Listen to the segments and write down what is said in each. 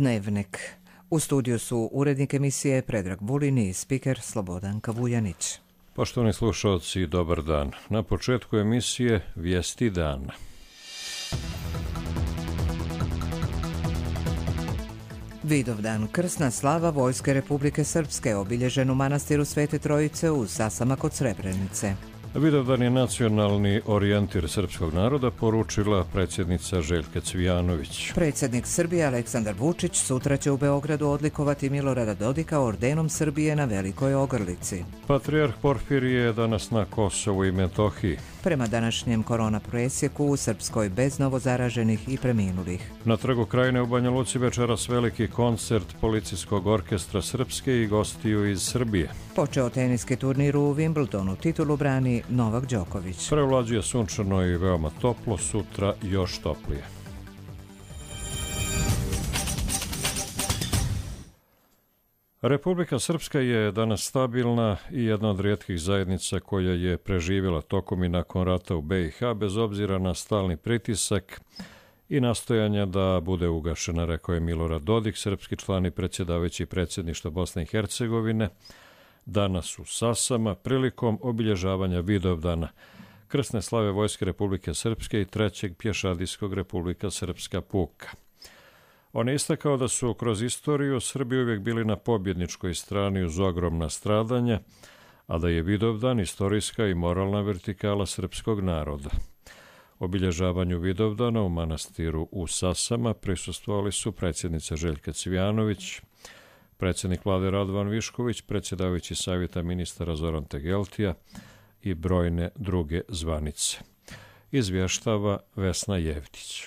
Dnevnik. U studiju su urednik emisije Predrag Vulin i spiker Slobodanka Vujanić. Poštovani slušalci, dobar dan. Na početku emisije Vijesti dana. Vidovdan, krsna slava Vojske Republike Srpske, obilježen u manastiru Svete Trojice u Sasama kod Srebrenice. Vidovdan je nacionalni orijentir srpskog naroda, poručila predsjednica Željka Cvijanović. Predsjednik Srbije Aleksandar Vučić sutra će u Beogradu odlikovati Milorada Dodika ordenom Srbije na Velikoj Ogrlici. Patrijarh Porfirije je danas na Kosovu i Metohiji. Prema današnjem korona presjeku u Srpskoj bez novozaraženih i preminulih. Na Trgu Krajine u Banja Luci večeras veliki koncert Policijskog orkestra Srpske i gostiju iz Srbije. Počeo teniski turnir u Wimbledonu, titulu brani Novak Đoković. Prevlađuje sunčano i veoma toplo, sutra još toplije. Republika Srpska je danas stabilna i jedna od rijetkih zajednica koja je preživjela tokom i nakon rata u BiH bez obzira na stalni pritisak i nastojanja da bude ugašena, rekao je Milorad Dodik, srpski član i predsjedavajući predsjedništva Bosne i Hercegovine, danas u Sasama prilikom obilježavanja Vidovdana, krsne slave Vojske Republike Srpske i trećeg pješadijskog Republika Srpska puka. On je istakao da su kroz istoriju Srbi uvijek bili na pobjedničkoj strani uz ogromna stradanja, a da je Vidovdan istorijska i moralna vertikala srpskog naroda. Obilježavanju Vidovdana u manastiru u Sasama prisustvovali su predsjednica Željka Cvijanović, predsjednik vlade Radovan Višković, predsjedavajući savjeta ministara Zoran Tegeltija i brojne druge zvanice. Izvještava Vesna Jevtić.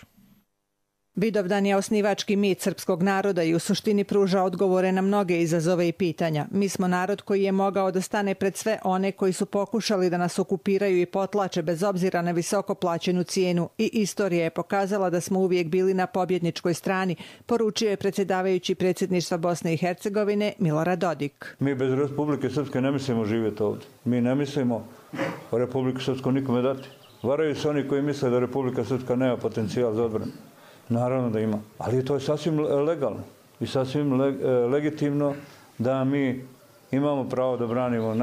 Vidovdan je osnivački mit srpskog naroda i u suštini pruža odgovore na mnoge izazove i pitanja. Mi smo narod koji je mogao da stane pred sve one koji su pokušali da nas okupiraju i potlače bez obzira na visoko plaćenu cijenu i istorija je pokazala da smo uvijek bili na pobjedničkoj strani, poručio je predsjedavajući predsjedništva Bosne i Hercegovine Milorad Dodik. Mi bez Republike Srpske ne mislimo živjeti ovdje. Mi ne mislimo Republiku Srpsku nikome dati. Varaju se oni koji misle da Republika Srpska nema potencijal za odbranu. Naravno da ima, ali to je sasvim legalno i sasvim legitimno da mi imamo pravo da branimo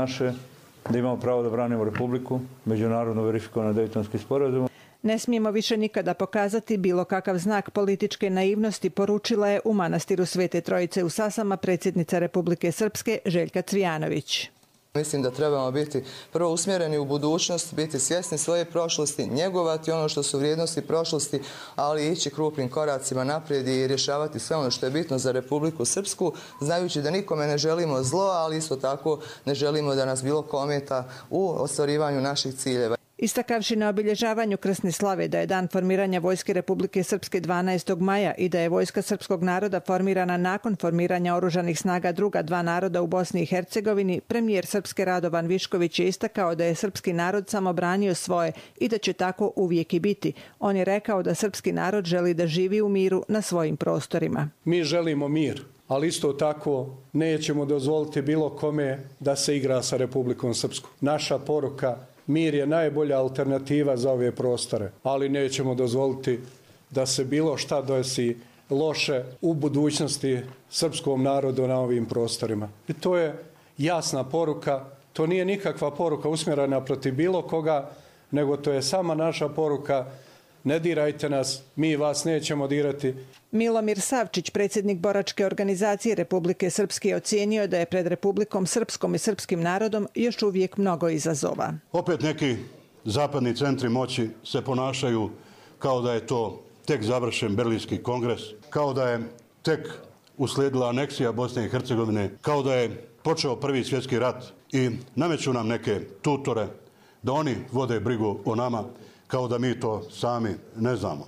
da imamo pravo da branimo Republiku, međunarodno verifikovano Dejtonski sporazum. Ne smijemo više nikada pokazati bilo kakav znak političke naivnosti, poručila je u manastiru Svete Trojice u Sasama predsjednica Republike Srpske Željka Cvijanović. Mislim da trebamo biti prvo usmjereni u budućnost, biti svjesni svoje prošlosti, njegovati ono što su vrijednosti prošlosti, ali ići krupnim koracima naprijed i rješavati sve ono što je bitno za Republiku Srpsku, znajući da nikome ne želimo zlo, ali isto tako ne želimo da nas bilo ko ometa u ostvarivanju naših ciljeva. Istakavši na obilježavanju krsne slave da je dan formiranja Vojske Republike Srpske 12. maja i da je Vojska srpskog naroda formirana nakon formiranja oružanih snaga druga dva naroda u Bosni i Hercegovini, premijer Srpske Radovan Višković je istakao da je srpski narod samo branio svoje i da će tako uvijek i biti. On je rekao da srpski narod želi da živi u miru na svojim prostorima. Mi želimo mir, ali isto tako nećemo dozvoliti bilo kome da se igra sa Republikom Srpskom. Naša poruka: mir je najbolja alternativa za ove prostore, ali nećemo dozvoliti da se bilo šta desi loše u budućnosti srpskom narodu na ovim prostorima. I to je jasna poruka, to nije nikakva poruka usmjerena protiv bilo koga, nego to je sama naša poruka: ne dirajte nas, mi vas nećemo dirati. Milomir Savčić, predsjednik boračke organizacije Republike Srpske, ocijenio da je pred Republikom Srpskom i srpskim narodom još uvijek mnogo izazova. Opet neki zapadni centri moći se ponašaju kao da je to tek završen Berlinski kongres, kao da je tek uslijedila aneksija Bosne i Hercegovine, kao da je počeo Prvi svjetski rat i nameću nam neke tutore da oni vode brigu o nama, kao da mi to sami ne znamo.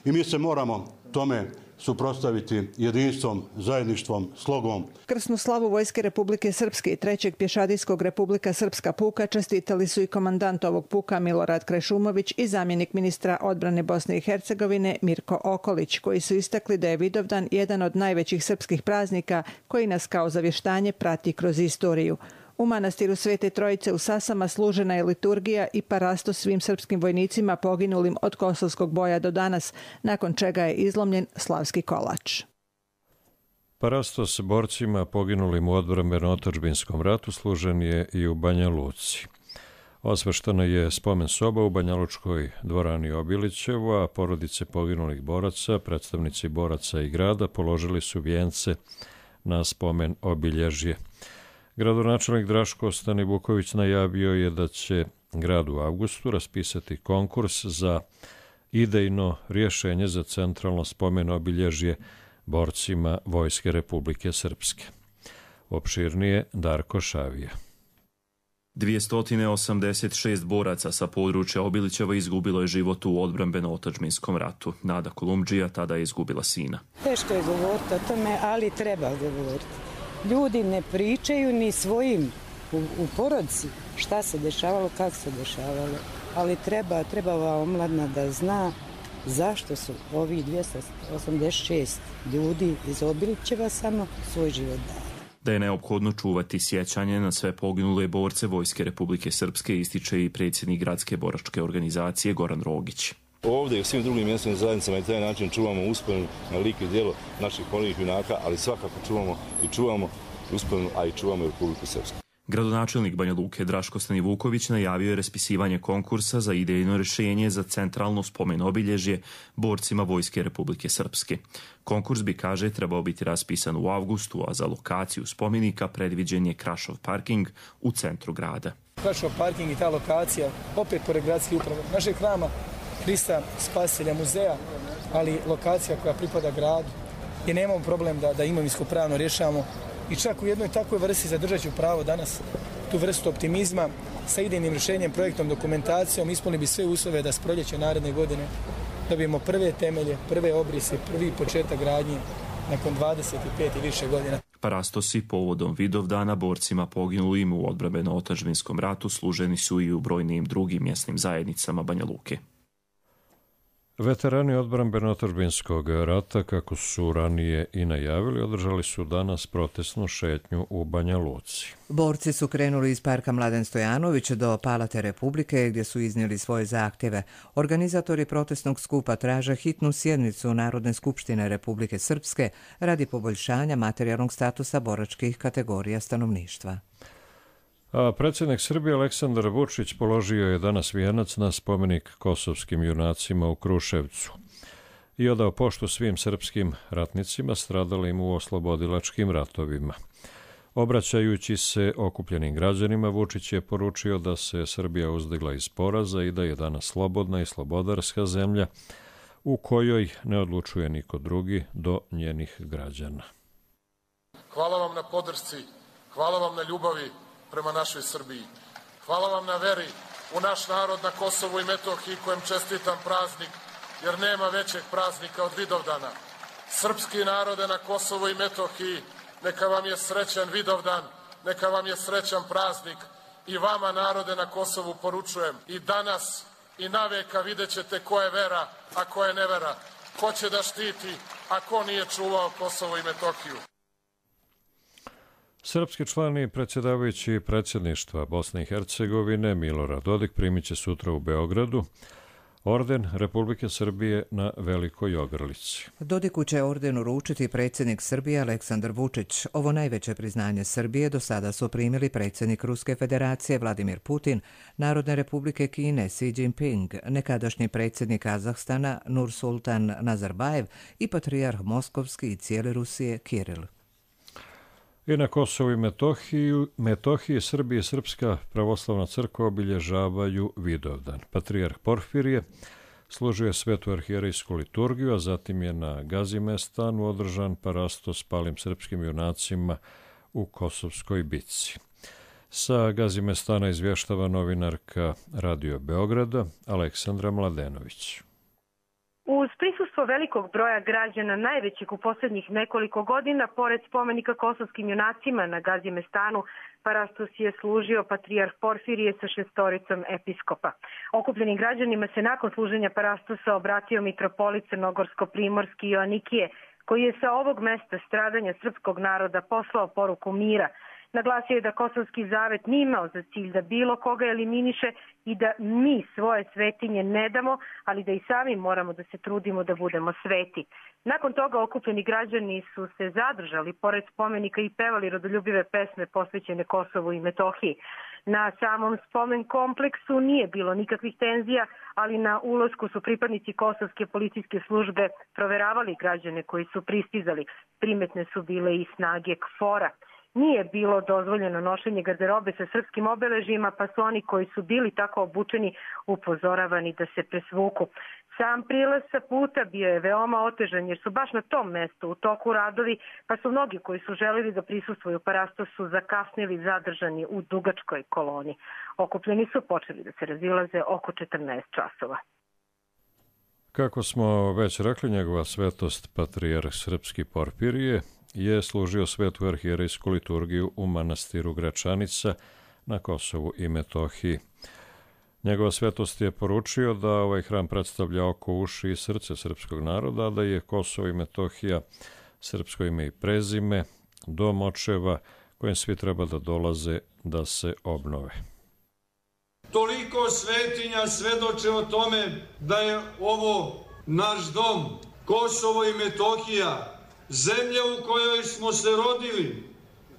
I mi se moramo tome suprotstaviti jedinstvom, zajedništvom, slogom. Krsnu slavu Vojske Republike Srpske i trećeg pješadijskog Republika Srpska puka čestitali su i komandant ovog puka Milorad Krešumović i zamjenik ministra odbrane Bosne i Hercegovine Mirko Okolić, koji su istakli da je Vidovdan jedan od najvećih srpskih praznika koji nas kao zavještanje prati kroz istoriju. U manastiru Svete Trojice u Sasama služena je liturgija i parasto svim srpskim vojnicima poginulim od Kosovskog boja do danas, nakon čega je izlomljen slavski kolač. Parastos borcima poginulim u odbrambeno-otadžbinskom ratu služen je i u Banja Luci. Osveštena je spomen soba u Banjalučkoj dvorani Obilićevu, a porodice poginulih boraca, predstavnici boraca i grada položili su vijence na spomen obilježje. Gradonačelnik Draško Stanivuković najavio je da će grad u avgustu raspisati konkurs za idejno rješenje za centralno spomen obilježje borcima Vojske Republike Srpske. Opširnije Darko Šavija. 286 boraca sa područja Obilićeva izgubilo je život u odbrambeno-otadžbinskom ratu. Nada Kolumdžija tada je izgubila sina. Teško je govoriti o tome, ali treba govoriti. Ljudi ne pričaju ni svojim u porodici šta se dešavalo, kako se dešavalo. Ali treba ova omladina da zna zašto su ovi 286 ljudi iz Obilićeva samo svoj život dali. Da je neophodno čuvati sjećanje na sve poginule borce Vojske Republike Srpske ističe i predsjednik gradske boračke organizacije Goran Rogić. Ovdje i u svim drugim mjesnim zajednicama i taj način čuvamo uspomenu na lik i djelo naših poginulih junaka, ali svakako čuvamo uspomenu, a i čuvamo Republiku Srpsku. Gradonačelnik Banja Luke Draško Stanivuković najavio je raspisivanje konkursa za idejno rješenje za centralno spomen obilježje borcima Vojske Republike Srpske. Konkurs bi, kaže, trebao biti raspisan u avgustu, a za lokaciju spomenika predviđen je Krašov parking u centru grada. Krašov parking i ta lokacija, opet pored gradske uprave, našeg hrama Hrista Spasitelja muzeja, ali lokacija koja pripada gradu, gdje nemamo problem da imovinsko pravno rješavamo. I čak u jednoj takvoj vrsti zadržat ću pravo danas tu vrstu optimizma sa idejnim rješenjem, projektom, dokumentacijom, ispunili bi sve uslove da s proljeća naredne godine dobijemo prve temelje, prve obrise, prvi početak gradnje nakon 25 i više godina. Parastosi povodom Vidovdana borcima poginulim u odbrambeno-otadžbinskom ratu služeni su i u brojnim drugim mjesnim zajednicama Banja Luke. Veterani odbrambeno-otadžbinskog rata, kako su ranije i najavili, održali su danas protestnu šetnju u Banja Luci. Borci su krenuli iz parka Mladen Stojanović do Palate Republike, gdje su iznijeli svoje zahtjeve. Organizatori protestnog skupa traže hitnu sjednicu Narodne skupštine Republike Srpske radi poboljšanja materijalnog statusa boračkih kategorija stanovništva. A predsjednik Srbije Aleksandar Vučić položio je danas vijenac na spomenik kosovskim junacima u Kruševcu i odao poštu svim srpskim ratnicima stradalim u oslobodilačkim ratovima. Obraćajući se okupljenim građanima, Vučić je poručio da se Srbija uzdigla iz poraza i da je danas slobodna i slobodarska zemlja u kojoj ne odlučuje niko drugi do njenih građana. Hvala vam na podršci, hvala vam na ljubavi prema našoj Srbiji. Hvala vam na veri u naš narod na Kosovu i Metohiji, kojem čestitam praznik, jer nema većeg praznika od Vidovdana. Srpski narode na Kosovu i Metohiji, neka vam je srećan Vidovdan, neka vam je srećan praznik. I vama, narode na Kosovu, poručujem, i danas i naveka vidjet ćete ko je vera, a ko je nevera, ko će da štiti, a ko nije čuvao Kosovo i Metohiju. Srpski član i predsjedavajući predsjedništva Bosne i Hercegovine Milorad Dodik primit će sutra u Beogradu orden Republike Srbije na Velikoj Ogrlici. Dodiku će orden uručiti predsjednik Srbije Aleksandar Vučić. Ovo najveće priznanje Srbije do sada su primili predsjednik Ruske federacije Vladimir Putin, Narodne republike Kine Xi Jinping, nekadašnji predsjednik Kazahstana Nursultan Nazarbajev i patrijarh Moskovski i cijele Rusije Kiril. I na Kosovu i Metohiji Srbija i Srpska pravoslavna crkva obilježavaju Vidovdan. Patrijarh Porfirije služio svetu arhijerejsku liturgiju, a zatim je na Gazimestanu održan parastos palim srpskim junacima u Kosovskoj bitci. Sa Gazimestana izvještava novinarka Radio Beograda Aleksandra Mladenović. Uz prisustvo velikog broja građana, najvećeg u posljednjih nekoliko godina, pored spomenika kosovskim junacima na Gazimestanu, parastos je služio patrijarh Porfirije sa 6 episkopa. Okupljenim građanima se nakon služenja parastosa obratio mitropolit Crnogorsko-Primorski Joanikije, koji je sa ovog mesta stradanja srpskog naroda poslao poruku mira Naglasio je da Kosovski zavet nije imao za cilj da bilo koga eliminiše i da mi svoje svetinje ne damo, ali da i sami moramo da se trudimo da budemo sveti. Nakon toga okupljeni građani su se zadržali pored spomenika i pevali rodoljubive pesme posvećene Kosovu i Metohiji. Na samom spomen kompleksu nije bilo nikakvih tenzija, ali na ulasku su pripadnici kosovske policijske službe proveravali građane koji su pristizali. Primetne su bile i snage KFOR-a. Nije bilo dozvoljeno nošenje garderobe sa srpskim obeležjima, pa su oni koji su bili tako obučeni upozoravani da se presvuku. Sam prilaz sa puta bio je veoma otežan jer su baš na tom mestu u toku radovi, pa su mnogi koji su želeli da prisustvuju parastosu zakasnili zadržani u dugačkoj koloni. Okupljeni su počeli da se razilaze oko 14 časova. Kako smo već rekli, njegova svetost patrijarh srpski Porfirije je služio svetu arhijerejsku liturgiju u manastiru Gračanica na Kosovu i Metohiji. Njegova svetost je poručio da ovaj hram predstavlja oko, uši i srce srpskog naroda, a da je Kosovo i Metohija srpsko ime i prezime, dom očeva kojem svi treba da dolaze da se obnove. Toliko svetinja svedoče o tome da je ovo naš dom, Kosovo i Metohija, zemlja u kojoj smo se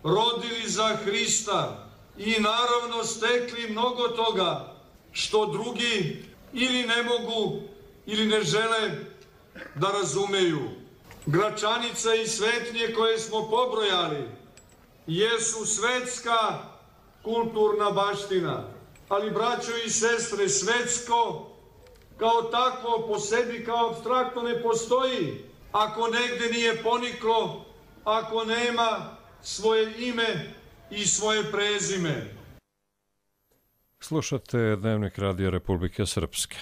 rodili za Hrista i naravno stekli mnogo toga što drugi ili ne mogu ili ne žele da razumeju. Gračanica i svetinje koje smo pobrojali jesu svetska kulturna baština, ali braćo i sestre, svetsko kao takvo po sebi kao apstraktno ne postoji ako negde nije poniklo, ako nema svoje ime i svoje prezime. Slušate Dnevnik Radija Republike Srpske.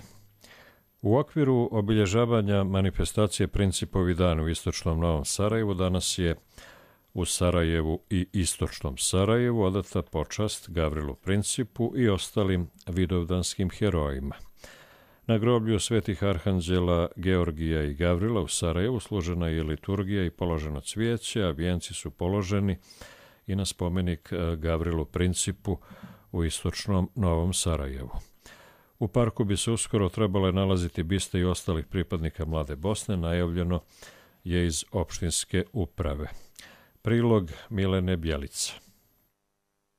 U okviru obilježavanja manifestacije Principovi dan u istočnom Novom Sarajevu danas je u Sarajevu i istočnom Sarajevu odata počast Gavrilu Principu i ostalim vidovdanskim herojima. Na groblju svetih arhanđela Georgija i Gavrila u Sarajevu služena je liturgija i položeno cvijeće, a vijenci su položeni i na spomenik Gavrilu Principu u istočnom Novom Sarajevu. U parku bi se uskoro trebale nalaziti biste i ostalih pripadnika Mlade Bosne, najavljeno je iz opštinske uprave. Prilog Milene Bjelica.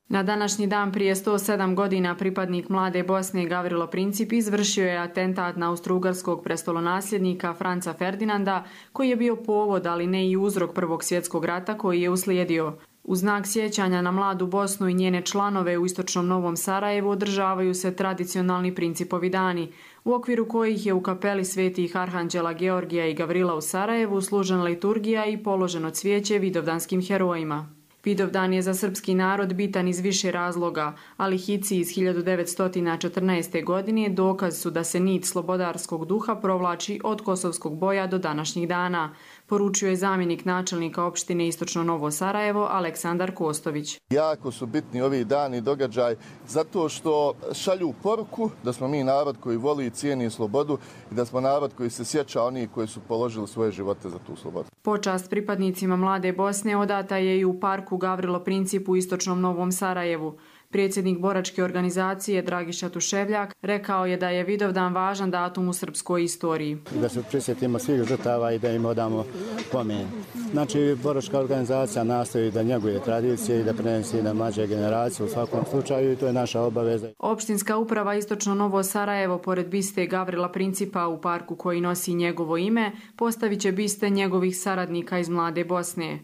Na današnji dan prije 107 godina pripadnik Mlade Bosne Gavrilo Princip izvršio je atentat na austrougarskog prestolonasljednika Franca Ferdinanda, koji je bio povod, ali ne i uzrok Prvog svjetskog rata koji je uslijedio. U znak sjećanja na Mladu Bosnu i njene članove u istočnom Novom Sarajevu održavaju se tradicionalni Principovi dani, u okviru kojih je u kapeli svetih arhanđela Georgija i Gavrila u Sarajevu služena liturgija i položeno cvijeće vidovdanskim herojima. Vidovdan je za srpski narod bitan iz više razloga, ali hici iz 1914. godine dokaz su da se nit slobodarskog duha provlači od kosovskog boja do današnjih dana, poručio je zamjenik načelnika opštine Istočno Novo Sarajevo Aleksandar Kostović. Jako su bitni ovi dani događaj zato što šalju poruku da smo mi narod koji voli i cijeni slobodu i da smo narod koji se sjeća onih koji su položili svoje živote za tu slobodu. Počast pripadnicima Mlade Bosne odata je i u parku Gavrilo Princip u Istočnom Novom Sarajevu. Predsjednik boračke organizacije Dragiša Tuševljak rekao je da je Vidovdan važan datum u srpskoj istoriji. Da se prisjetimo svih žrtava i da im odamo pomen. Znači, boračka organizacija nastoji da njeguje tradicije i da prenesi na mlađe generacije u svakom slučaju i to je naša obaveza. Opštinska uprava Istočno Novo Sarajevo, pored biste Gavrila Principa u parku koji nosi njegovo ime, postavit će biste njegovih saradnika iz Mlade Bosne.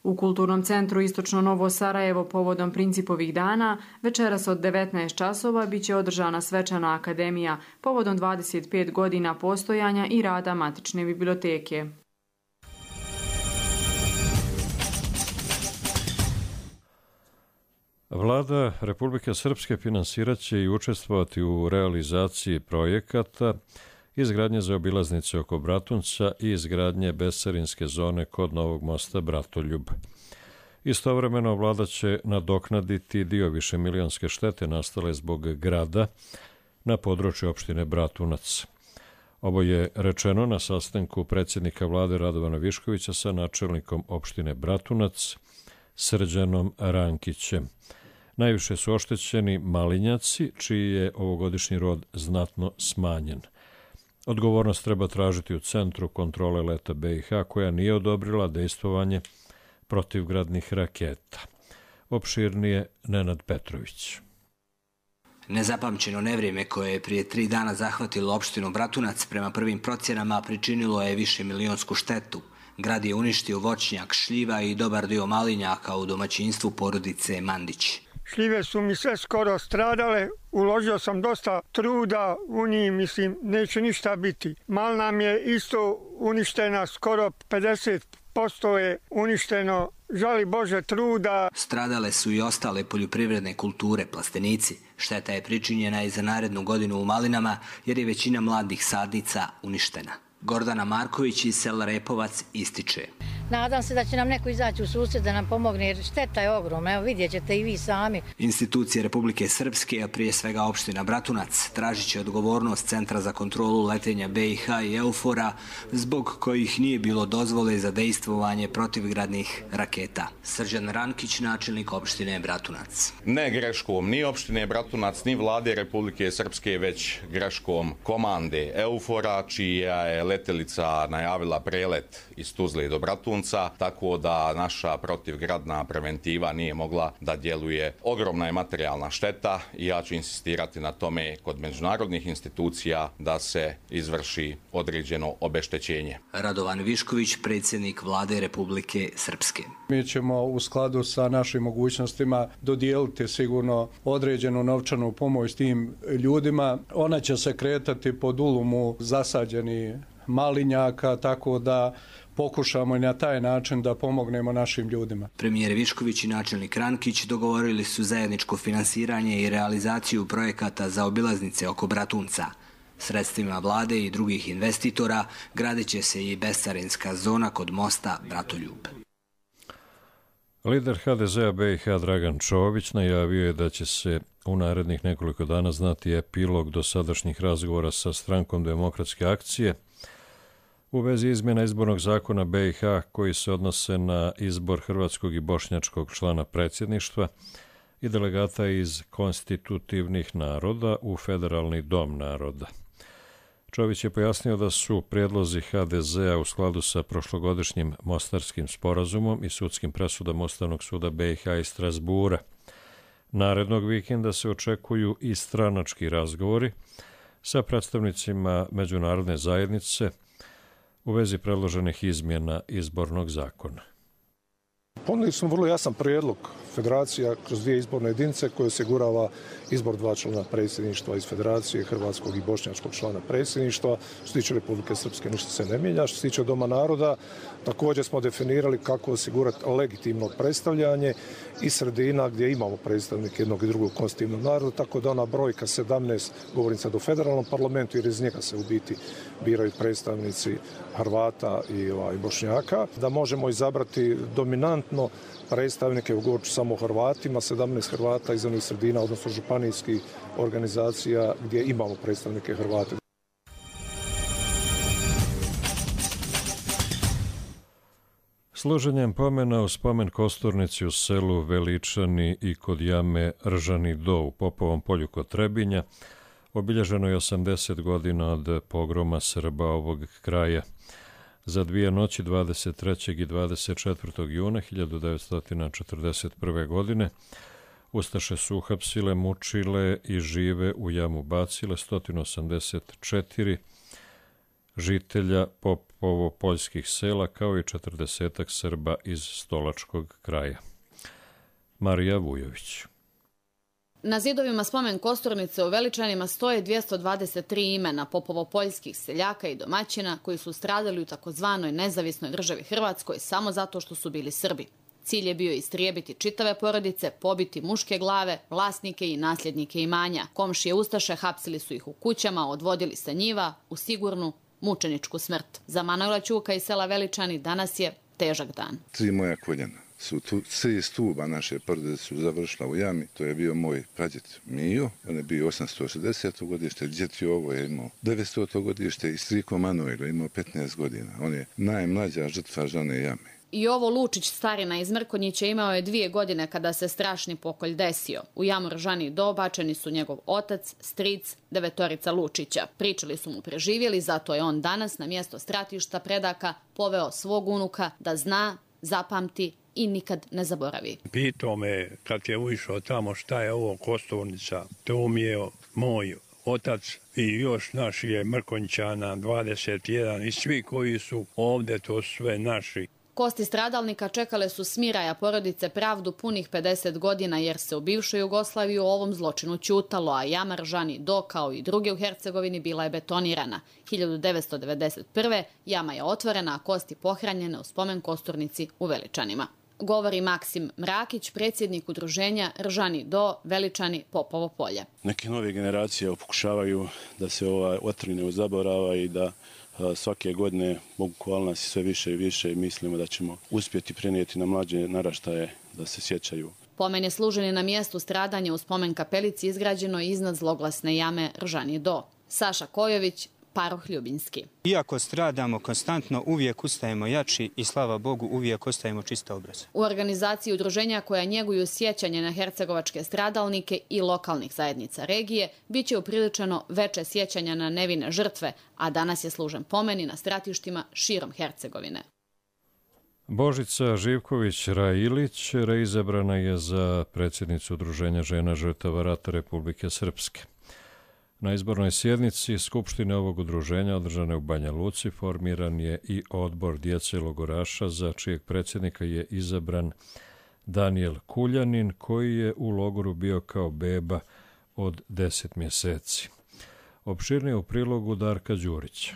U Kulturnom centru Istočno Novo Sarajevo povodom Principovih dana večeras od 19 časova biće održana svečana akademija povodom 25 godina postojanja i rada matične biblioteke. Vlada Republike Srpske finansiraće i učestvovati u realizaciji projekata izgradnje zaobilaznice oko Bratunca i izgradnje bescarinske zone kod Novog mosta Bratoljub. Istovremeno vlada će nadoknaditi dio višemilionske štete nastale zbog grada na području opštine Bratunac. Ovo je rečeno na sastanku predsjednika vlade Radovana Viškovića sa načelnikom opštine Bratunac, Srđanom Rankićem. Najviše su oštećeni malinjaci, čiji je ovogodišnji rod znatno smanjen. Odgovornost treba tražiti u Centru kontrole leta BiH, koja nije odobrila dejstvovanje protivgradnih raketa. Opširnije Nenad Petrović. Nezapamćeno nevrijeme koje je prije 3 dana zahvatilo opštinu Bratunac prema prvim procjenama pričinilo je višemilionsku štetu. Grad je uništio voćnjak, šljiva i dobar dio malinjaka u domaćinstvu porodice Mandić. Šljive su mi sve skoro stradale, uložio sam dosta truda u njih, mislim, neće ništa biti. Mal nam je isto uništena, skoro 50% je uništeno, žali Bože truda. Stradale su i ostale poljoprivredne kulture, plastenici. Šteta je pričinjena i za narednu godinu u malinama, jer je većina mladih sadnica uništena. Gordana Marković iz sela Repovac ističe. Nadam se da će nam neko izaći u susret da nam pomogne, jer šteta je ogromna. Evo, vidjet ćete i vi sami. Institucije Republike Srpske, a prije svega opština Bratunac, tražit će odgovornost Centra za kontrolu letenja BiH i EUFOR-a, zbog kojih nije bilo dozvole za dejstvovanje protivgradnih raketa. Srđan Rankić, načelnik opštine Bratunac. Ne greškom ni opštine Bratunac, ni vlade Republike Srpske, već greškom komande EUFOR-a, čija je letelica najavila prelet iz Tuzle do Bratunca, tako da naša protivgradna preventiva nije mogla da djeluje. Ogromna je materijalna šteta i ja ću insistirati na tome kod međunarodnih institucija da se izvrši određeno obeštećenje. Radovan Višković, predsjednik vlade Republike Srpske. Mi ćemo u skladu sa našim mogućnostima dodijeliti sigurno određenu novčanu pomoć tim ljudima. Ona će se kretati pod ulumu zasađeni malinjaka, tako da pokušamo i na taj način da pomognemo našim ljudima. Premijer Višković i načelnik Rankić dogovorili su zajedničko finansiranje i realizaciju projekata za obilaznice oko Bratunca. Sredstvima vlade i drugih investitora gradit će se i bescarinska zona kod mosta Bratoljub. Lider HDZ-a BiH Dragan Čović najavio je da će se u narednih nekoliko dana znati epilog dosadašnjih razgovora sa Strankom demokratske akcije u vezi izmjena izbornog zakona BiH koji se odnose na izbor hrvatskog i bošnjačkog člana predsjedništva i delegata iz konstitutivnih naroda u Federalni dom naroda. Čović je pojasnio da su prijedlozi HDZ-a u skladu sa prošlogodišnjim Mostarskim sporazumom i sudskim presudama Ustavnog suda BiH iz Strasbura. Narednog vikenda se očekuju i stranački razgovori sa predstavnicima međunarodne zajednice u vezi predloženih izmjena izbornog zakona. Ponudili smo vrlo jasan prijedlog federacija kroz 2 izborne jedinice koje osigurava izbor 2 člana predsjedništva iz federacije, hrvatskog i bošnjačkog člana predsjedništva. Što se tiče Republike Srpske ništa se ne mijenja. Što se tiče Doma naroda, također smo definirali kako osigurati legitimno predstavljanje i sredina gdje imamo predstavnike jednog i drugog konstitutivnog naroda, tako da ona brojka 17, govorim sad o federalnom parlamentu, jer iz njega se u biti biraju predstavnici Hrvata i Bošnjaka, da možemo izabrati dominantno predstavnike, govorit ću samo o Hrvatima, 17 Hrvata iz onih sredina, odnosno županijskih organizacija gdje imamo predstavnike Hrvata. Služenjem pomena u spomen kosturnici u selu Veličani i kod jame Ržani Do u Popovom polju kod Trebinja obilježeno je 80 godina od pogroma Srba ovog kraja. Za 2 noći 23. i 24. juna 1941. godine ustaše su uhapsile, mučile i žive u jamu bacile 184 žitelja Popovo-poljskih sela kao i 40 Srba iz Stolačkog kraja. Marija Vujović. Na zidovima spomen kosturnice u Veličanima stoje 223 imena popovo-poljskih seljaka i domaćina koji su stradali u takozvanoj nezavisnoj državi Hrvatskoj samo zato što su bili Srbi. Cilj je bio istrijebiti čitave porodice, pobiti muške glave, vlasnike i nasljednike imanja. Komšije ustaše hapsili su ih u kućama, odvodili sa njiva u sigurnu mučeničku smrt. Za Manojla Ćuka iz sela Veličani danas je težak dan. 3 moja koljena su 3 stuba naše porodice su završila u jami. To je bio moj pradjed Mijo, on je bio 860. godište, djed Jovo je imao 900. godište i striko Manojlo je imao 15 godina. On je najmlađa žrtva žane jame. Jovo Lučić, starina iz Mrkonjića, imao je 2 godine kada se strašni pokolj desio. U jamu Ržani Do bačeni su njegov otac, stric, 9 Lučića. Pričali su mu preživjeli, zato je on danas na mjesto stratišta predaka poveo svog unuka da zna, zapamti i nikad ne zaboravi. Pitao me kad je ušao tamo šta je ovo Kosturnica. To mi je moj otac i još naši je Mrkonjićana 21 i svi koji su ovdje, to su sve naši. Kosti stradalnika čekale su smiraja porodice pravdu punih 50 godina jer se u bivšoj Jugoslaviji o ovom zločinu ćutalo, a jama Ržani Do kao i druge u Hercegovini bila je betonirana. 1991. jama je otvorena, a kosti pohranjene u spomen Kosturnici u Veličanima. Govori Maksim Mrakić, predsjednik udruženja Ržani Do, Veličani, Popovo polje. Neke nove generacije pokušavaju da se ova otrine uzaborava i da svake godine bukvalno nas sve više i više i mislimo da ćemo uspjeti prenijeti na mlađe naraštaje da se sjećaju. Pomen je služen na mjestu stradanja u spomen kapelici izgrađeno iznad zloglasne jame Ržani Do. Saša Kojović, Paroh Ljubinski. Iako stradamo konstantno, uvijek ustajemo jači i slava Bogu uvijek ostajemo čista obraza. U organizaciji udruženja koja njeguju sjećanje na hercegovačke stradalnike i lokalnih zajednica regije bit će upriličeno veče sjećanja na nevine žrtve, a danas je služen pomeni na stratištima širom Hercegovine. Božica Živković-Railić reizabrana je za predsjednicu Udruženja žena žrtava rata Republike Srpske. Na izbornoj sjednici Skupštine ovog udruženja održane u Banja Luci formiran je i odbor djece logoraša za čijeg predsjednika je izabran Danijel Kuljanin koji je u logoru bio kao beba od 10 mjeseci. Opširnije u prilogu Darka Đurića.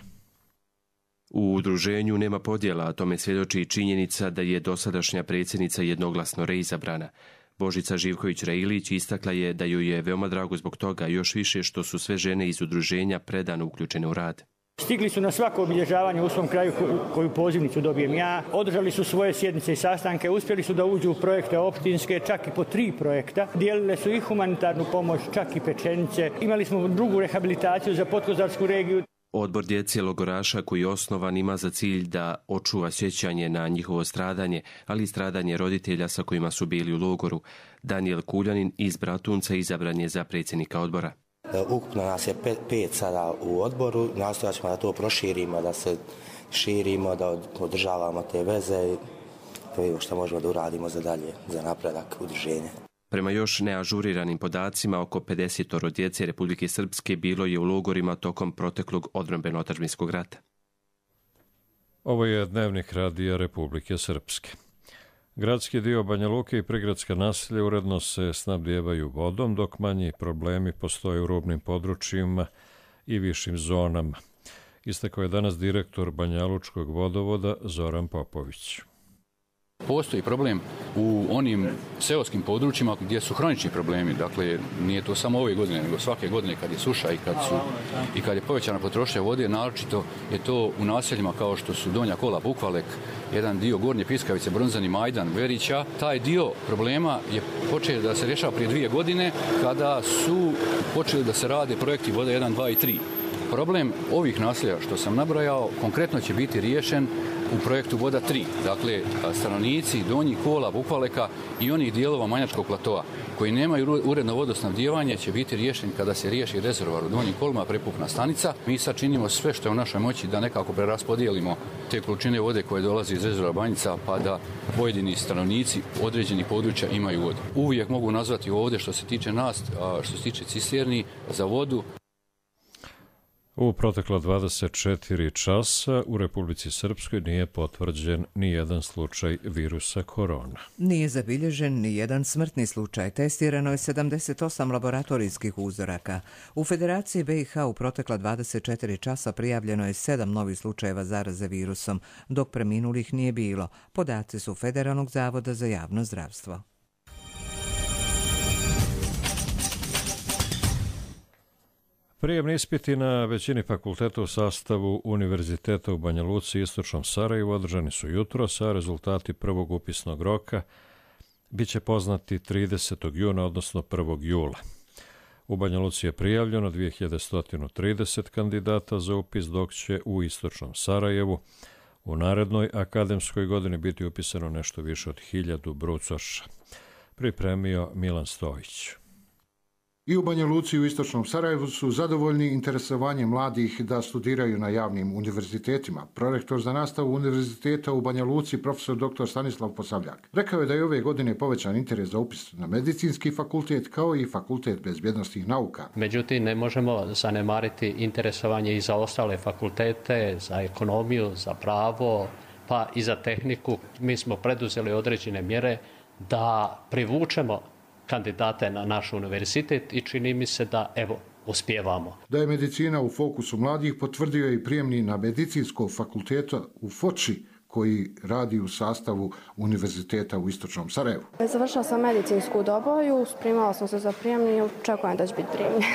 U udruženju nema podjela, a tome svjedoči i činjenica da je dosadašnja predsjednica jednoglasno reizabrana. Božica Živković-Railić istakla je da joj je veoma drago zbog toga, još više što su sve žene iz udruženja predano uključene u rad. Stigli su na svako obilježavanje u svom kraju koju pozivnicu dobijem ja, održali su svoje sjednice i sastanke, uspjeli su da uđu u projekte opštinske, čak i po 3 projekta, dijelile su i humanitarnu pomoć, čak i pečenice, imali smo drugu rehabilitaciju za Podkozarsku regiju. Odbor djece logoraša koji je osnovan ima za cilj da očuva sjećanje na njihovo stradanje, ali i stradanje roditelja sa kojima su bili u logoru. Danijel Kuljanin iz Bratunca izabran je za predsjednika odbora. Ukupno nas je 5 sada u odboru, nastojat ćemo da to proširimo, da se širimo, da održavamo te veze i što možemo da uradimo za dalje, za napredak udruženja. Prema još neažuriranim podacima, oko 50 djece Republike Srpske bilo je u logorima tokom proteklog odbrambeno-otadžbinskog rata. Ovo je dnevnik radija Republike Srpske. Gradski dio Banja Luke i prigradska naselja uredno se snabdijevaju vodom, dok manji problemi postoje u rubnim područjima i višim zonama. Istakao je danas direktor Banjalučkog vodovoda Zoran Popović. Postoji problem u onim seoskim područjima gdje su hronični problemi. Dakle, nije to samo ove godine, nego svake godine kad je suša i kad je povećana potrošnja vode, naročito je to u naseljima kao što su Donja Kola, Bukvalek, jedan dio Gornje Piskavice, Bronzani, Majdan, Verića. Taj dio problema je počeo da se rješava prije 2 godine kada su počeli da se rade projekti voda 1, 2 i 3. Problem ovih naselja što sam nabrojao konkretno će biti riješen u projektu Voda 3. Dakle, stanovnici Donjih Kola, Bukvaleka i onih dijelova Manjačkog platoa koji nemaju uredno vodosnabdijevanje će biti riješen kada se riješi rezervoar u Donjim Kolima, prepukna stanica. Mi sad činimo sve što je u našoj moći da nekako preraspodijelimo te količine vode koje dolaze iz rezervoara Banjica pa da pojedini stanovnici određenih područja imaju vodu. Uvijek mogu nazvati ovdje što se tiče nas, što se tiče cisterni za vodu. U protekla 24 časa u Republici Srpskoj nije potvrđen ni jedan slučaj virusa korona. Nije zabilježen ni jedan smrtni slučaj. Testirano je 78 laboratorijskih uzoraka. U Federaciji BiH u protekla 24 časa prijavljeno je 7 novih slučajeva zaraze virusom, dok preminulih nije bilo. Podaci su Federalnog zavoda za javno zdravstvo. Prijemni ispiti na većini fakulteta u sastavu Univerziteta u Banja Luci i Istočnom Sarajevu održani su jutros, a rezultati prvog upisnog roka biće poznati 30. juna, odnosno 1. jula. U Banja Luci je prijavljeno 2130 kandidata za upis, dok će u Istočnom Sarajevu u narednoj akademskoj godini biti upisano nešto više od 1000 brucoša. Pripremio Milan Stojić. I u Banja Luci i u istočnom Sarajevu su zadovoljni interesovanjem mladih da studiraju na javnim univerzitetima. Prorektor za nastavu univerziteta u Banja Luci, profesor dr. Stanislav Posavljak, rekao je da je ove godine povećan interes za upis na medicinski fakultet kao i fakultet bezbjednosnih nauka. Međutim, ne možemo zanemariti interesovanje i za ostale fakultete, za ekonomiju, za pravo, pa i za tehniku. Mi smo preduzeli određene mjere da privučemo kandidate na naš univerzitet i čini mi se da, uspijevamo. Da je medicina u fokusu mladih potvrdio je i prijemni na medicinskog fakulteta u Foči, koji radi u sastavu univerziteta u istočnom Sarajevu. Završila sam medicinsku doboju, spremala sam se za prijemni i očekujem da će biti primljena.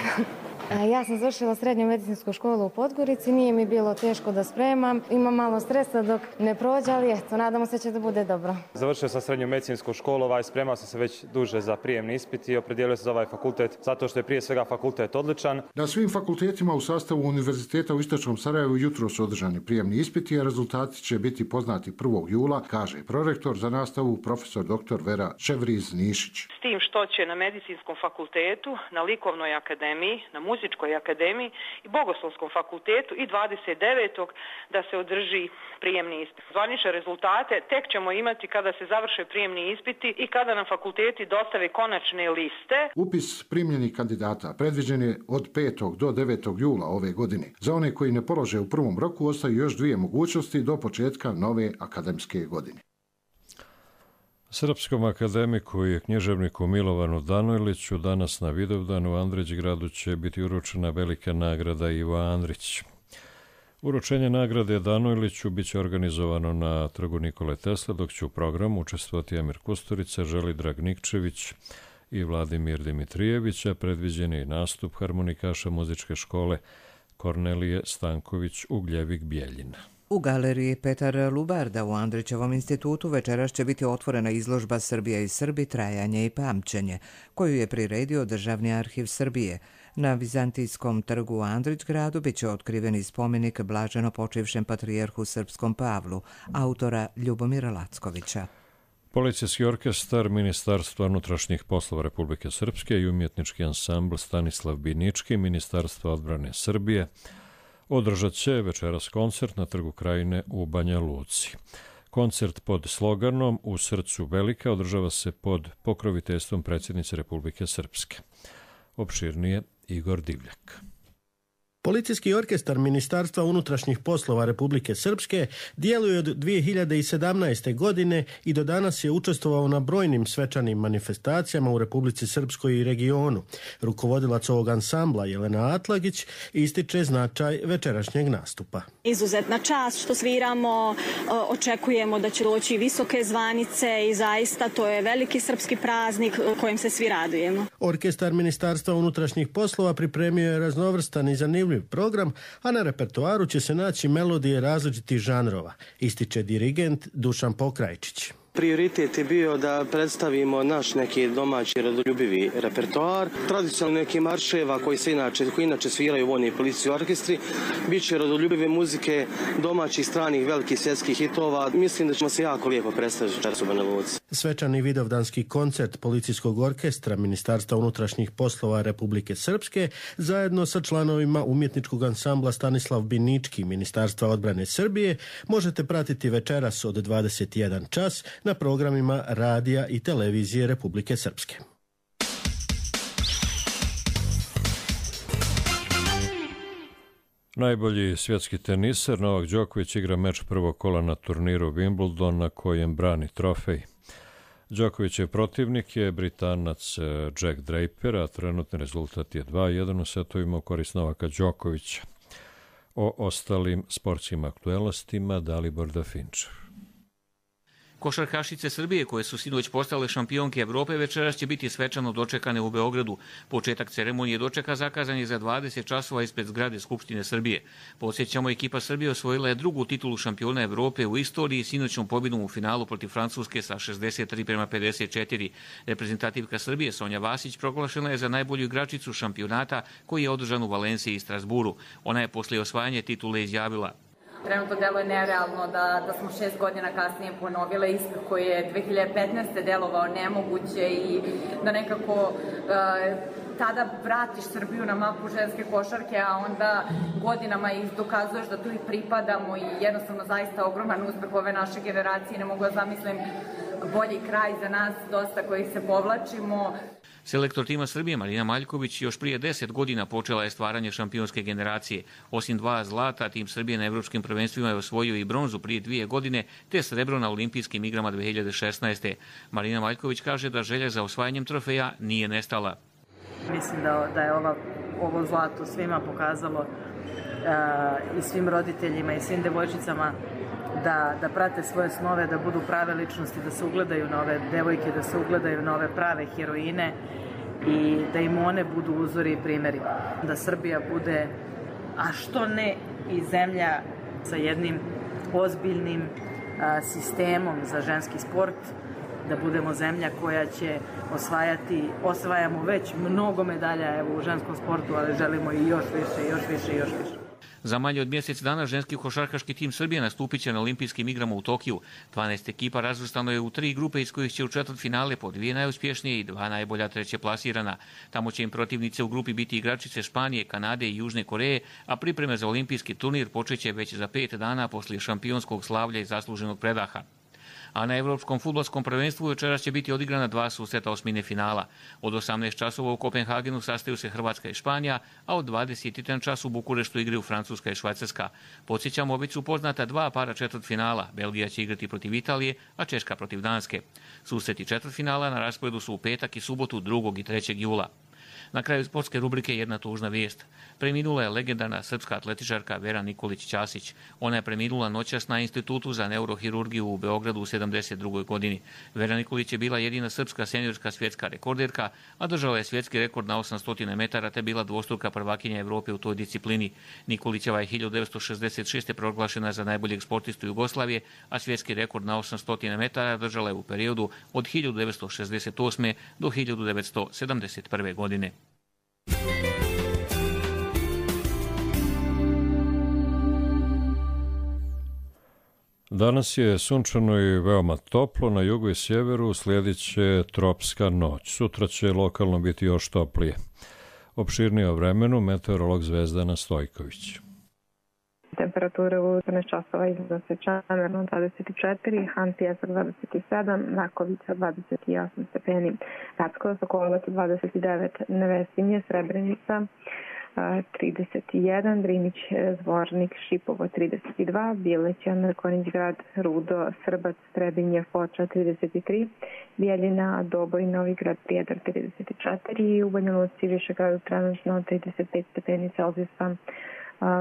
Ja sam završila srednju medicinsku školu u Podgorici, nije mi bilo teško da spremam, imam malo stresa dok ne prođe, ali nadamo se će da bude dobro. Završio sam srednju medicinsku školu, spremao sam se već duže za prijemni ispit i opredijelio se za ovaj fakultet zato što je prije svega fakultet odličan. Na svim fakultetima u sastavu univerziteta u istočnom Sarajevu jutro su održani prijemni ispiti, a rezultati će biti poznati 1. jula, kaže prorektor za nastavu profesor dr. Vera Čevriz-Nišić. S tim što će na medicinskom fakultetu, na likovnoj akademiji, na muzičkoj akademiji i bogoslovskom fakultetu i 29. da se održi prijemni ispit. Zvanične rezultate tek ćemo imati kada se završe prijemni ispiti i kada nam fakulteti dostave konačne liste. Upis primljenih kandidata predviđen je od 5. do 9. jula ove godine. Za one koji ne polože u prvom roku ostaju još 2 mogućnosti do početka nove akademske godine. Srpskom akademiku i književniku Milovanu Danojliću danas na Vidovdanu u Andrićgradu će biti uručena velika nagrada Ivo Andrić. Uručenje nagrade Danojliću biće organizovano na trgu Nikole Tesle, dok će u programu učestvovati Emir Kusturica, Želidrag Nikčević i Vladimir Dimitrijević, a predviđen je i nastup harmonikaša muzičke škole Kornelije Stanković Ugljevik-Bjeljina. U galeriji Petar Lubarda u Andrićevom institutu večeras će biti otvorena izložba Srbija i Srbi, trajanje i pamćenje, koju je priredio Državni arhiv Srbije. Na Vizantijskom trgu u Andrićgradu bit će otkriveni spomenik blaženo počivšem patrijarhu srpskom Pavlu, autora Ljubomira Lackovića. Policijski orkestar Ministarstva unutrašnjih poslova Republike Srpske i umjetnički ansambl Stanislav Binički Ministarstva odbrane Srbije održat će večeras koncert na Trgu Krajine u Banja Luci. Koncert pod sloganom U srcu velika održava se pod pokroviteljstvom predsjednice Republike Srpske. Opširnije Igor Divljak. Policijski orkestar Ministarstva unutrašnjih poslova Republike Srpske djeluje od 2017. godine i do danas je učestvovao na brojnim svečanim manifestacijama u Republici Srpskoj i regionu. Rukovodilac ovog ansambla Jelena Atlagić ističe značaj večerašnjeg nastupa. Izuzetna čast što sviramo, očekujemo da će doći visoke zvanice i zaista to je veliki srpski praznik kojim se svi radujemo. Orkestar Ministarstva unutrašnjih poslova pripremio je raznovrstan i zanimljiv program, a na repertoaru će se naći melodije različitih žanrova, ističe dirigent Dušan Pokrajčić. Prioritet je bio da predstavimo naš neki domaći rodoljubivi repertoar. Tradicionalno neki marševa koji inače sviraju vojni policijski orkestri. Biće rodoljubive muzike, domaćih, stranih, velikih svjetskih hitova. Mislim da ćemo se jako lijepo predstaviti večeras u Banja Luci. Svečani vidovdanski koncert Policijskog orkestra Ministarstva unutrašnjih poslova Republike Srpske zajedno sa članovima umjetničkog ansambla Stanislav Binički Ministarstva odbrane Srbije možete pratiti večeras od 21 čas na programima radija i televizije Republike Srpske. Najbolji svjetski teniser Novak Đoković igra meč prvog kola na turniru Wimbledon na kojem brani trofej. Đokovićev protivnik je Britanac Jack Draper, a trenutni rezultat je 2-1 u setovima u korist Novaka Đokovića. O ostalim sportskim aktuelnostima Dalibor Dafinčev. Košarkašice Srbije, koje su sinoć postale šampionke Evrope, večeras će biti svečano dočekane u Beogradu. Početak ceremonije dočeka zakazan je za 20 časova ispred zgrade Skupštine Srbije. Podsjećamo, ekipa Srbije osvojila je drugu titulu šampiona Evrope u istoriji sinoćnom pobjedom u finalu protiv Francuske sa 63-54. Reprezentativka Srbije Sonja Vasić proglašena je za najbolju igračicu šampionata koji je održan u Valenciji i Strasburu. Ona je poslije osvajanja titule izjavila: Trenutno deluje nerealno da smo 6 godina kasnije ponovile ispit koji je 2015. delovao nemoguće i da nekako tada vratiš Srbiju na mapu ženske košarke, a onda godinama ih dokazuješ da tu i pripadamo i jednostavno zaista ogroman uspeh ove naše generacije. Ne mogu da zamislim bolji kraj za nas, dosta kojih se povlačimo. Selektor tima Srbije Marina Maljković još prije 10 godina počela je stvaranje šampionske generacije. Osim 2 zlata, tim Srbije na evropskim prvenstvima je osvojio i bronzu prije 2 godine, te srebro na olimpijskim igrama 2016. Marina Maljković kaže da želja za osvajanjem trofeja nije nestala. Mislim da je ovo zlato svima pokazalo i svim roditeljima i svim devojčicama da prate svoje snove, da budu prave ličnosti, da se ugledaju na ove devojke, da se ugledaju na ove prave heroine i da im one budu uzori i primjeri. Da Srbija bude, a što ne i zemlja sa jednim ozbiljnim sistemom za ženski sport, da budemo zemlja koja će osvajamo već mnogo medalja u ženskom sportu, ali želimo i još više, još više, još više. Za manje od mjesec dana ženski košarkaški tim Srbije nastupit će na olimpijskim igrama u Tokiju. 12 ekipa razvrstano je u 3 grupe iz kojih će u četvrtfinale po 2 najuspješnije i 2 najbolja treće plasirana. Tamo će im protivnice u grupi biti igračice Španije, Kanade i Južne Koreje, a pripreme za olimpijski turnir počeće već za 5 dana poslije šampionskog slavlja i zasluženog predaha. A na Evropskom fudbalskom prvenstvu večeras će biti odigrana 2 susreta osmine finala. Od 18 časova u Kopenhagenu sastaju se Hrvatska i Španija, a od 21 čas u Bukureštu igraju Francuska i Švajcarska. Podsjećamo, već su poznata 2 para četvrtfinala. Belgija će igrati protiv Italije, a Češka protiv Danske. Susreti četvrtfinala na rasporedu su u petak i subotu 2. i 3. jula. Na kraju sportske rubrike jedna tužna vijest. Preminula je legendarna srpska atletičarka Vera Nikolić-Ćasić. Ona je preminula noćas na Institutu za neurohirurgiju u Beogradu u 72. godini. Vera Nikolić je bila jedina srpska seniorska svjetska rekorderka, a držala je svjetski rekord na 800 metara te bila dvostruka prvakinja Evrope u toj disciplini. Nikolićeva je 1966. proglašena za najboljeg sportistu Jugoslavije, a svjetski rekord na 800 metara držala je u periodu od 1968. do 1971. godine. Danas je sunčano i veoma toplo, na jugu i sjeveru slijedit će tropska noć. Sutra će lokalno biti još toplije. Opširnije o vremenu meteorolog Zvezdana Stojković. Temperature u 14 časova iznose Čamerno 24, Han Pjesak 27, Nakovica 28 stepeni, Packovo Sokolovac 29, Nevesinje, Srebrenica 31, Drinić, Zvornik, Šipovo 32, Bileća, Mrkonić grad, Rudo, Srbac, Trebinje, Foča 33, Bijeljina, Doboj, Novi grad, Prijedor 34 i u Banja Luci, Višegradu trenutno 35 stepeni Celzijusa.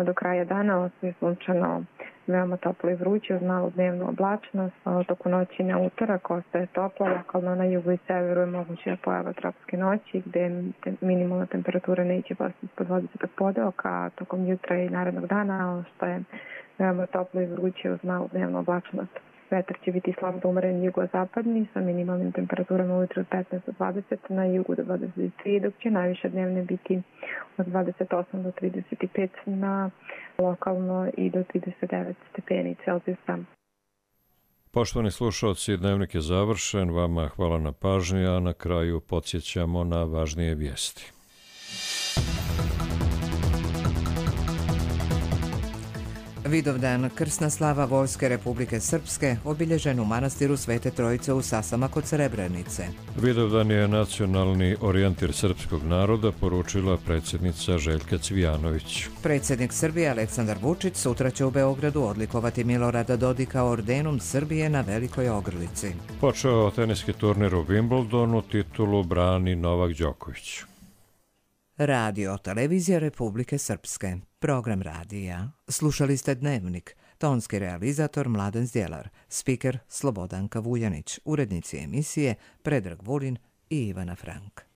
Do kraja dana ostaje sunčano, veoma toplo i vruće uz malu dnevnu oblačnost. Toku noći na utorak ostaje toplo, lokalno na jugu i severu je moguća pojava tropske noći gdje minimalna temperatura neće pasti ispod 20 podeoka, a tokom jutra i narednog dana ostaje veoma toplo i vruće uz malu dnevnu oblačnost. Vetar će biti slab do umeren jugozapadni sa minimalnim temperaturama ujutro od 15 do 20, na jugu do 23, dok će najviše dnevne biti od 28 do 35 na lokalno i do 39 stepeni Celzijusa. Poštovani slušalci, dnevnik je završen. Vama hvala na pažnji, a na kraju podsjećamo na važnije vijesti. Vidovdan, krsna slava Vojske Republike Srpske, obilježen u manastiru Svete Trojice u Sasama kod Srebrenice. Vidovdan je nacionalni orijentir srpskog naroda, poručila predsjednica Željka Cvijanović. Predsjednik Srbije Aleksandar Vučić sutra će u Beogradu odlikovati Milorada Dodika ordenom Srbije na Velikoj Ogrlici. Počeo teniski turnir u Wimbledonu, titulu brani Novak Đoković. Radio Televizija Republike Srpske. Program radija. Slušali ste Dnevnik. Tonski realizator Mladen Zdjelar. Spiker Slobodanka Vujanić. Urednici emisije Predrag Vulin i Ivana Frank.